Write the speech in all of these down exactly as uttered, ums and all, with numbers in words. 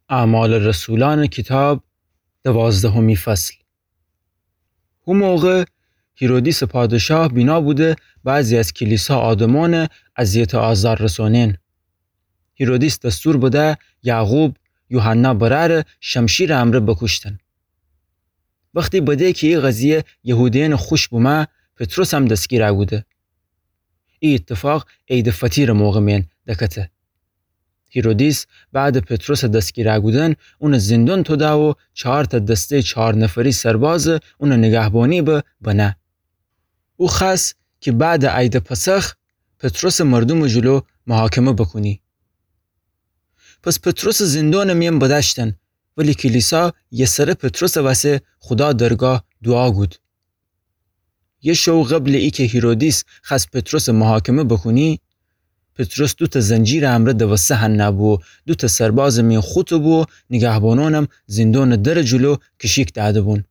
اعمال رسولأنٚ کیتاب، دوازدهمی فصل. هو موقع هیرودیسٚ پادشاه بینا بوده بعضی از کلیسا آدمأنَ اذیت و آزار رسونین. هیرودیس دستور بده یعقوب، یوحنا برأرَ شمشیرٚ امرأ بوکوشتن. وختی بده کی ای قضیه یهودیأنَ خوش بومه، پطرسم دستگیر کوده. ای ایتفاق عیدٚ فطیرٚ موقع مئن دکته. هیرودیس بعدٚ پطرسٚ دستگیر کودن اونَ زندون توده و چهارتأ دسته‌یٚ چهار نفری سربازَ اونٚ نیگهبانی به بنه. او خوأست کی بعدٚ عیدٚ پسخ پطرسَ مردومٚ جلو محاکمه بوکونی. پس پطرسَ زندونٚ مئن بدأشتن، ولی کلیسا یه سره پطرسٚ وسه خودا درگاه دوعا کود. یه شو قبلٚ ایکه هیرودیس خوأست پطرسَ محاکمه بوکونی، پطرس دوتأ زنجیرٚ امرأ دوسته هنه بو، دوتأ سربازٚ مئن خوته بو، نیگهبانأنم زندونٚ درٚ جلو کشیک دأده بون.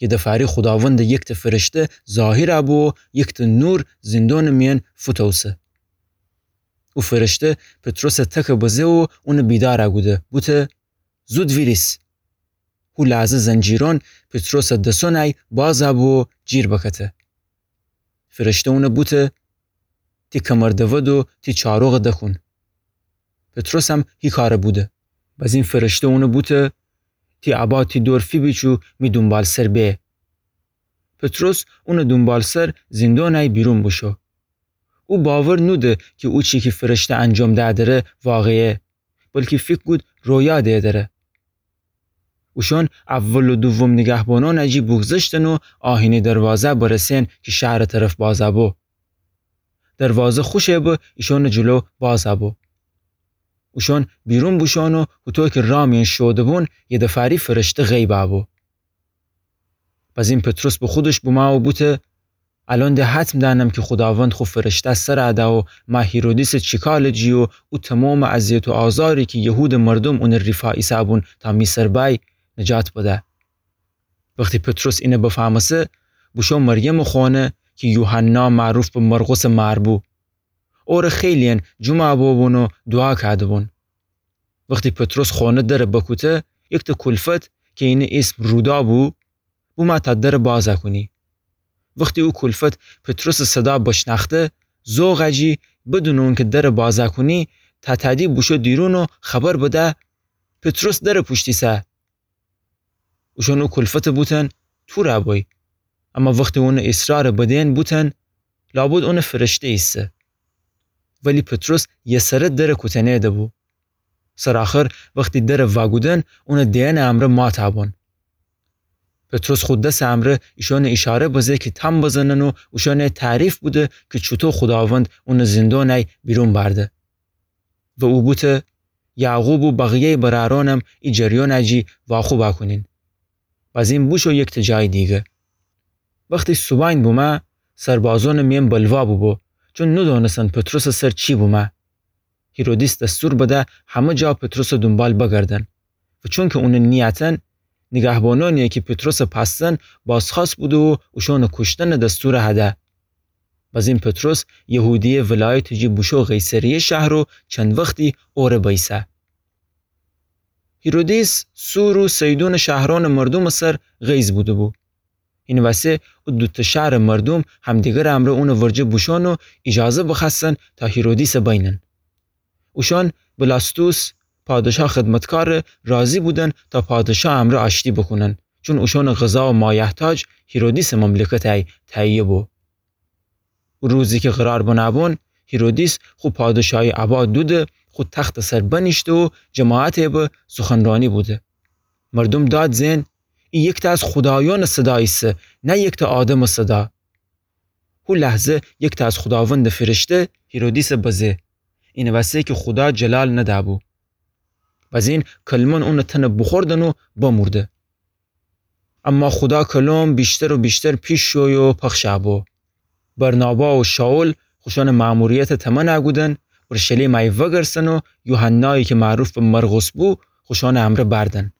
یه دفعه‌یی خوداوندٚ یکتأ فرشته ظاهر بو، یکتأ نور زندونٚ مئن فوتوسه. او فرشته پطرسَ تکَ بزه و اونَ بیدار کوده، بوته: زود ویریس. هو لحظه زنجیرأن پطرسٚ دسأنَی باز بو و جیر بکته. فرشته اونَ بوته: تی کمر دود و تی چاروغَ دکون. پطرسم هی کارَ بوده. بزین فرشته اونَ بوته: تی عبا تی دور فیبیچ و می دونبالسر به. پطرس اونٚ دونبالسر زندونَی بیرون بوشو. او باور نوده کی او چی کی فرشته انجام ده‌دره واقعیه، بلکی فیکر کود رویا دیدره. اوشأن اول و دوم نیگهبانأنٚ جی بوگذشتن و آهنی دروازه برسن کی شهرٚ طرف باز بو. دروازه خوشه‌به ایشأنٚ جلو باز بو. اوشأن بیرون بوشوئن و هوطو کی رأ مئن شوده بون، یه دفعه‌یی فرشته غیب بو. بزین پطرس به خودش بومه و بوته: الأن ده حتم دأنم کی خوداوند خو فرشته سر ده و مه هیرودیسٚ چیکالٚ جی و او تومامٚ اذیت و آزاری کی یهودٚ مردوم اونٚ ریفا ایسه‌بون تا می سر بأی، نجات بده. وختی پطرس اینَ بفهمسه، بوشو مریمٚ خونه کی یوحنا معروف به مرقسٚ مار بو. اورَ خیلی‌یأن جمع بوبون و دوعا کوده‌بون. وختی پطرس خونه درَ بکوته، یکتأ کولفت کی اینٚ ایسم رودا بو، بومه تا درَ باز کونی. وختی او کولفت پطرسٚ صدا بشنأخته، ذوقٚ جی بدونٚ اونکی درَ باز کونی، تأتأدی بوشو دیرون و خبر بده: پطرس درَ پوشت ایسه. اوشأن او کولفتَ بوتن تورَ بوی. اما وختی اونٚ اصرارَ بدین بوتن: لابد اونٚ فرشته ایسه. ولی پطرس یه سره درَ کوتنه‌ده بو. سرآخر وختی درَ واکودن، اونٚ دئنٚ امرأ ماتَ بون. پطرس خو دسٚ امرأ ایشأنَ ایشاره بزه کی تام بزنن و اوشأنَ تعریف بوده کی چوطو خوداوند اونٚ زندونَی بیرون بأرده. و او بوته: یعقوب و بقیه‌یٚ برأرأنم ای جریانٚ جی واخوب کونین. بزین بوشو یکتأ جایٚ دیگه. وختی صوبأن بومه، سربازأنٚ میأن بلوا بوبو، چون نودأنستن پطرسٚ سر چی بومه. هیرودیس دستور بده همه جا پطرسٚ دونبال بگردن. و چونکی اونَ نیأتن، نیگهبانأنی کی پطرسَ پأستن بازخوأست بوده و اوشأنٚ کوشتنٚ دستور هده. بزین پطرس یهودیه ولایتٚ جی بوشو قیصریه شهر و چند وختی اوره بأیسه. هیرودیس سور و صیدونٚ شهرأنٚ مردومٚ سر غیظ بوده بو. اینٚ وسه او دوتأ شهرٚ مردوم همدیگرٚ امرأ اونٚ ورجه بوشون و ایجازه بخوأستن تا هیرودیسَ بینن. اوشأن بلاستوس، پادشا خدمتکارَ راضی بودن تا پادشا امرأ آشتی بوکونن، چون اوشأنٚ غذا و مایحتاج هیرودیسٚ مملکتَی تهیه بو. او روزی کی قرار بنه‌بون، هیرودیس خو پادشاهی عبا دوده، خو تختٚ سر بنیشته و جماعتَ به سخنرأنی بوده. مردوم داد زئن: ای یکتأ از خودایأنٚ صدا ایسه، نه یکتأ آدمٚ صدا. هو لحظه یکتأ از خوداوندٚ فرشته هیرودیسَ بزه، اینٚ وسه کی خودا جلال نده‌بو. بزین کلمأن اونٚ تنَ بوخوردن و بمورده. اما خودا کلام ویشتر و ویشتر پیش شوی و پخش بو. برنابا و شائول خوشأنٚ مأموریتَ تمنَ کودن، اورشلیمَ وگرسن و یوحنایی کی معروف به مرقس بو، خوشأنٚ امرأ بردن.